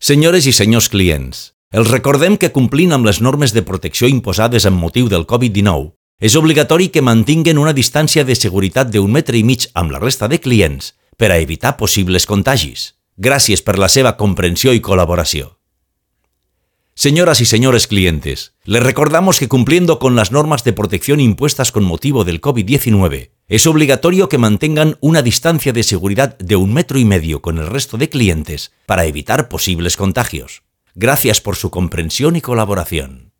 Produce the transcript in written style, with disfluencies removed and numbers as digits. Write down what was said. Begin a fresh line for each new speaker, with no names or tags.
Senyores i senyors clients, els recordem que complint amb les normes de protecció imposades amb motiu del Covid-19, és obligatori que mantinguen una distància de seguretat d'1,5 metres amb la resta de clients per a evitar possibles contagis. Gràcies per la seva comprensió y colaboración. Señoras y señores clientes, les recordamos que cumpliendo con las normas de protección impuestas con motivo del COVID-19, es obligatorio que mantengan una distancia de seguridad de 1,5 metros con el resto de clientes para evitar posibles contagios. Gracias por su comprensión y colaboración.